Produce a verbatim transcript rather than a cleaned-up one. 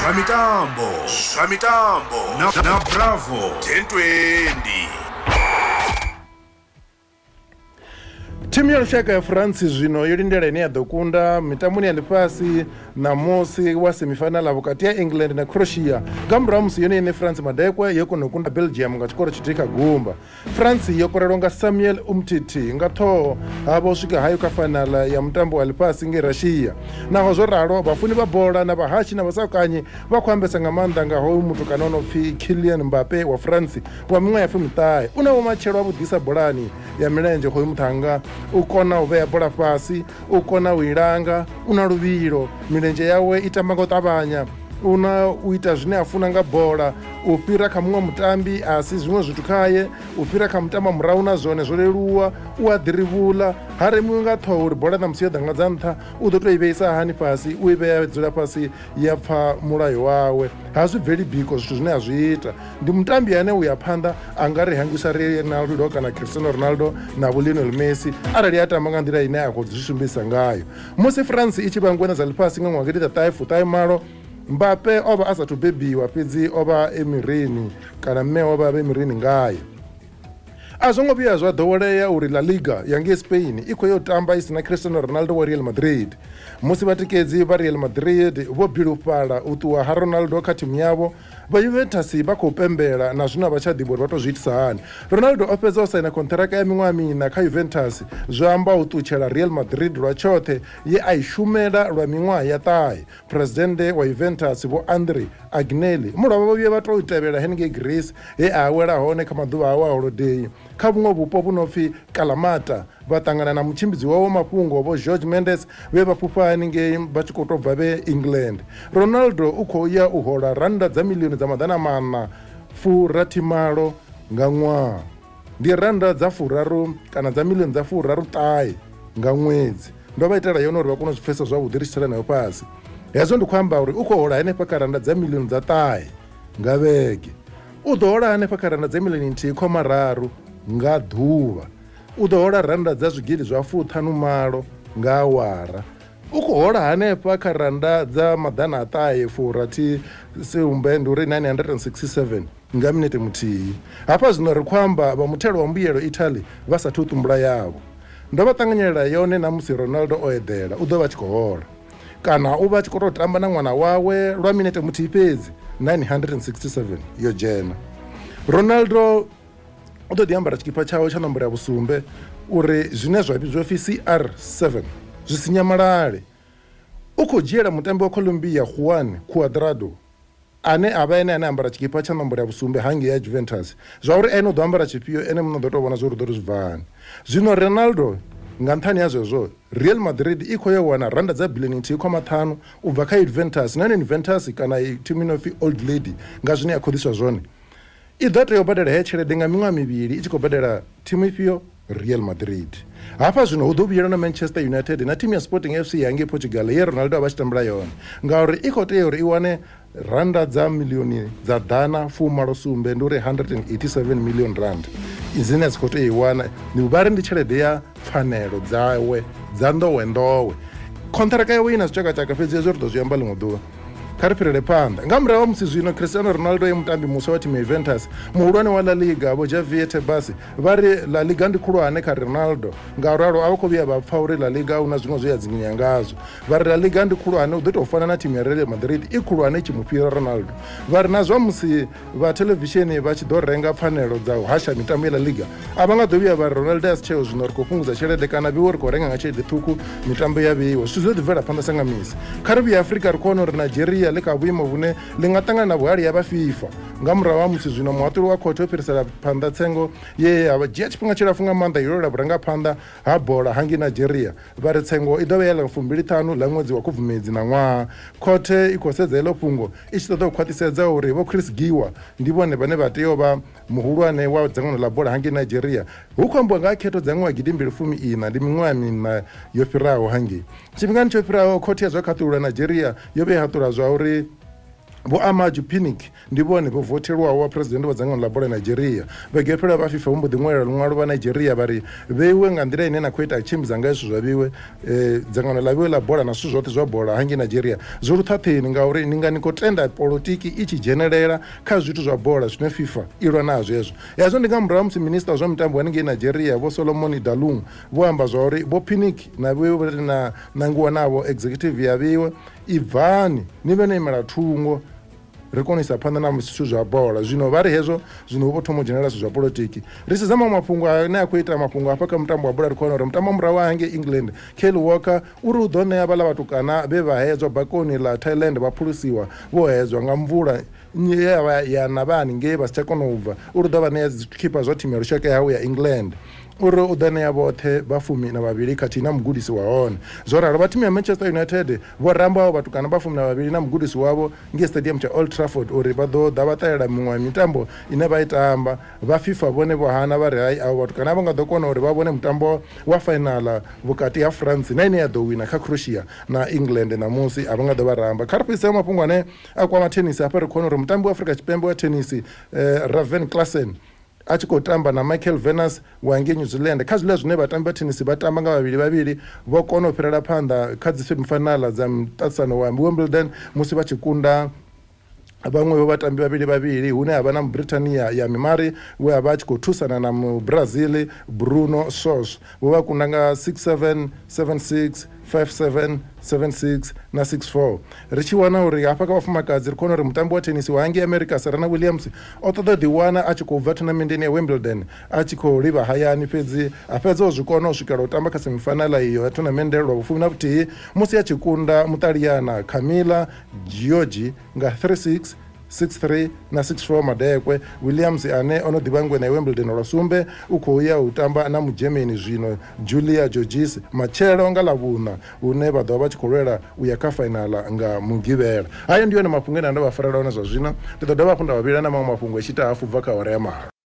Zwa mitambo, zwa mitambo na, na Bravo ten twenty. Thimu ya lushaka ya France zwino yo lindela ine ya ḓo kunda mitamboni ya ḽifhasi ṋamusi wa semifinala vhukati ha England na Croatia nga murahu musi yone ine France madekwe yo kona u kunda Belgium nga tshikoro tshithihi kha gumba. France yo korelwa nga Samuel Umtiti nga ṱhoho havho swika hayo kha fainala ya mutambo wa ḽifhasi ngei Russia. Naho zwo ralo, vhafuni vha bola na vhahashi na vhasakanyi vha khou ambesa nga maanḓa nga hoyu mutukana o no pfi Kylian Mbappe wa France wa miṅwaha ya fumiṱahe. U na vhumatshelo havhuḓisa bolani ya milenzhe hoyu muṱhannga, u kona u vhea bola fhasi, u kona u ilanga, u na luvhilo, milenzhe yawe i tamba nga u ṱavhanya, u na u ita zwine a funa nga bola, u fhira kha muṅwe mutambi a si zwiṅwe zwithu khaye, u fhira kha mutamba murahu na zwone zwo leluwa, u a ḓirivhula, ha remiwi nga ṱhoho uri bola ṋamusi yo ḓa nga dza nṱha u ḓo tou i vheisa hani fhasi, u i vhea dzula fhasi ya pfa mulayo wawe. Ha zwi bveli biko zwithu zwine a zwi ita. Ndi mutambi ane u ya phanḓa a nga ri hangwisa Ronaldo kana Cristiano Ronaldo na vho Lionel Messi arali a tamba nga nḓila ine a khou zwi sumbedzisa ngayo. Musi France i tshi vha ngwena dza ḽifhasi nga ṅwaha gidi ḓa ṱahe malo, Mbappe o vha a sathu bebiwa, fhedzi o vha e mirini kana mme o vha e mirini ngayo. A zwo ngo vhuya zwa ḓowelea uri La Liga ya ngei Spain i khou yo tamba i sina Cristiano Ronaldo wa Real Madrid. Musi vhatikedzi vha Real Madrid vho bilufhala u ṱuwa ha Ronaldo kha thimu yavho, vha Juventus vha khou pembela na zwino vha tsha ḓivha uri vha tou zwi itisa hani. Ronaldo o fhedza o saina konṱhiraka ya miṅwaha miṋa kha Juventus, zwi amba u ṱutshela Real Madrid lwa tshoṱhe ye a i shumela lwa miṅwaha ya ṱahe. Presidennde wa Juventus Vho Andri Agnelli mulovha vho vhuya vha tou tevhela henengei Greece he a awela hone kha maḓuvha awe a holodei kha vhuṅwe vhupo vhu no pfi Kalamata, vha ṱangana na mutshimbidzi wawe wa mafhungo Vho George Mendes vhe vha fhufha haningei vha tshi khou tou bva vhe England. Ronaldo u khou ya u hola rannda dza milioni dza maḓana maṋa furathimalo nga ṅwaha, ndi rannda dza furaru kana dza milioni dza furaru ṱahe nga ṅwedzi. Ndo vha itela yone uri vha kone u zwi pfesesa zwavhuḓi ri tshi tsela nayo fhasi. Hezwo ndi khou amba uri u khou hola henefha kha rannda dza milioni dza ṱahe nga vhege, u ḓo hola hanefha kha rannda dza milioni nthihi khoma raru nga ḓuvha, u ḓo hola rannda dza zwigidi zwa fuṱhanu malo nga awara, u khou hola hanefha kha rannda dza maḓana a ṱahe furathi sumbe, ndi uri nine hundred and sixty-seven nga minete muthihi. Hafha zwino ri khou amba vha muthelo wa mbuyelo Italy vha sathu tumbula yavho. Ndo vha ṱanganyela yone na musi Ronaldo o eḓela u ḓo vha tshi khou hola, kana u vha tshi khou tou tamba na ṅwana wawe lwa minete muthihi fhedzi, nine hundred and sixty-seven yo dzhena. Ronaldo u ḓo ḓi ambara tshikipa tshawe tsha nomboro ya vhusumbe uri zwine zwa vhidzwa pfi C R seven zwi si nyamalale. U khou dzhiela mutambi wa Colombia Juan Cuadrado ane a vha ene ane ambara tshikipa tsha nomboro ya vhusumbe hangei ya Juventus, zwa uri ene u ḓo ambara tshifhio ene muṋe u ḓo tou vhona zwa uri u ḓo ri zwi bva hani. Zwino Ronaldo nga nṱhani ha zwezwo, Real Madrid i khou yo wana rannda dza bilioni nthihi khoma ṱhanu u bva kha Juventus, na yone Juventus kana thimu ino pfi Old Lady nga zwine ya khou ḓiswa zwone i ḓo tea u badela heyo tshelede nga miṅwaha mivhili i tshi khou badela thimu ifhio? Real Madrid. Hafha zwino hu ḓo vhuyelwa na Manchester United na thimu ya Sporting F C ya ngei Portugal ye Ronaldo a vha tshi tambela yone, ngauri i khou tea uri i wane rannda dza milioni dza ḓana fumalo sumbe, ndi uri hundred and eighty-seven million rand dzine dzi khou tea i wana. Ndi vha ri ndi tshelede ya pfanelo dzawe dza nḓowenḓowe. Konṱhiraka yawe i na zwitshakatshaka, fhedzi hezwo ri ḓo zwi amba ḽiṅwe ḓuvha. Kha ri fhirele phanḓa. Nga murahu ha musi zwino Cristiano Ronaldo e mutambi muswa wa thimu ya Juventus, muhulwane wa La Liga Vho Javier Tebas vha ri La Liga ndi khulwane kha Ronaldo, ngauralo a vha khou vhuya vha pfa uri La Liga hu na zwiṅwe zwe ya dzinginya ngazwo. Vha ri La Liga ndi khulwane, u ḓo tou fana na thimu ya Real Madrid i khulwane i tshi mu fhira Ronaldo. Vha ri na zwa musi vha thelevishini vha tshi ḓo renga pfanelo dza u hasha mitambo ya La Liga, a vha nga ḓo vhuya vha ri Ronaldo a si tsheo zwino ri khou fhungudza tshelede kana vhiwe ri khou renga nga tshelede ṱhukhu mitambo ya vheiwa. Zwithu zwo ḓi bvela phanḓa sa nga misi. Kha ri vhuye Afrika ri khou wana uri Nigeria ḽi kha vhuimo vhune ḽi nga ṱangana na vhuhali ya vha FIFA nga murahu ha musi zwino muhaṱuli wa khothe o fhirisela phanḓa tsengo ye ya dzhia tshifhinga tshilapfu nga maanḓa yo lwela vhurangaphanḓa ha bola hangei Nigeria. Vha ri tsengo i ḓo vha ya ḽa fumbili ṱhanu ḽa ṅwedzi wa Khubvumedzi na ṅwaha. Khothe i khou sedza heḽo fhungo i tshi ṱoḓa u khwaṱhisedza uri Vho Chris Giwa ndi vhone vhane vha tea u vha muhulwane wa dzangano ḽa bola hangei Nigeria. Hu khou ambiwa nga ha khetho dza ṅwaha gidi mbili fumi ina, ndi miṅwaha miṋa yo fhiraho hangei. Tshifhingani tsho fhiraho khothe ya zwa khaṱulo Nigeria yo vhuya haṱula zwa uri Vho Amaju Pinnick ndi vhone vho vothelwaho wa president wa dzangano ḽa bola Nigeria. Vhege yo fhelaho vha FIFA vho mbo ḓi ṅwalela luṅwalo vha Nigeria vha ri vheiwe nga nḓila ine na khou ita tshimbidza ngayo zwithu zwa vhiwe eh, dzangano ḽa vhiwe ḽa bola na zwithu zwoṱhe zwa bola hangei Nigeria zwo luṱhaṱheni, ngauri ni nga ni khou tenda polotiki i tshi dzhenelela kha zwithu zwa bola zwine FIFA i lwa nazwo hezwo. Hezwo ndi nga murahu musi minista wa zwa mitambo haningei Nigeria Vho Solomon Dalung vho amba zwa uri Vho Pinnick na vhiwe na nangiwa navho executive ya vhiwe ibvani ni vhe no imela thungo ri kone u isa phanḓa na zwithu zwa bola. Zwino vha ri hezwo zwino vho thoma u dzhenelela zwithu zwa polotiki. Ri sedza maṅwe mafhungo ane a khou ita mafhungo hafha kha mutambo wa bola, ri khou wana uri mutambo murahu wa hangei England Kyle Walker uri u ḓo ṋea vhaḽa vhatukana vhe vha hedzwa bakoni ḽa Thailand vha phulusiwa vho hedzwa nga mvula ya ya na vhani ngei vha si tsha kona u bva, uri u ḓo vha ṋea zwikhipa zwa thimu ya lushaka yawe ya England, uri u ḓo ṋea vhoṱhe vha fumi na vhavhili khathihi na mugudisi wa hone. Zwo ralo vha thimu ya Manchester United vho ramba avho vhatukana vha fumi na vhavhili na mugudisi wavho ngei stadium tsha Old Trafford uri vha ḓo ḓa vha ṱalela miṅwe ya mitambo ine vha i tamba. Vha FIFA vhone vho hana vha ri hai, avho vhatukana vha nga ḓo kona uri vha vhone mutambo wa fainala vhukati ha France na ine ya ḓo wina kha Croatia na England ṋamusi, a vha nga ḓo vha ramba. Kha ri fhedzise mafhungo ane a kwama thenisi hafha, ri khou wana uri mutambi wa Afrika Tshipembe wa thenisi eh, Raven Klaasen a tshi khou tamba na Michael Venus wa ngei New Zealand kha zwiḽa zwine vhatambi vha thenisi vha tamba nga vhavhili vhavhili, vho kona u fhirela phanḓa kha dzi semifinala dza muṱaṱisano wa Wimbledon musi vha tshi kunda vhaṅwe vho vhatambi vhavhili vhavhili, hune ha vha na Mubritania ya Mimari we a vha a tshi khou thusana na Mubrazil Bruno Sos. Vho vha kunda nga six seven, seven six, five seven, seven six na six four. Ri tshi wana uri hafha kha vhafumakadzi ri khou wana uri mutambi wa thenisi wa hangei America Serena Williams o ṱoḓa u ḓiwana a tshi khou bva thonamendeni ya Wimbledon a tshi khou livha hayani, fhedzi a fhedza o zwi kona u swikela u tamba kha semifinala iyo ya thonamende lwa vhufumi na vhuthihi musi a tshi kunda Muṱaliyana Camila Giorgi nga three six, six three na six four madekwe. Williams ane ono ḓivha ngwena ya Wimbledon lwa sumbe u khou ya u tamba na Mugermany zwino Julia Georges matshelo nga ḽavhuṋa, hune vha ḓo vha tshi khou lwela u ya kha fainala nga Mugivhela. Hayo ndi yone mafhungo ane nda vha farela one zwa zwino. Ndi ḓo dovha hafhu nda vha vhila na maṅwe mafhungo a tshi ita hafu bva kha awara ya malo.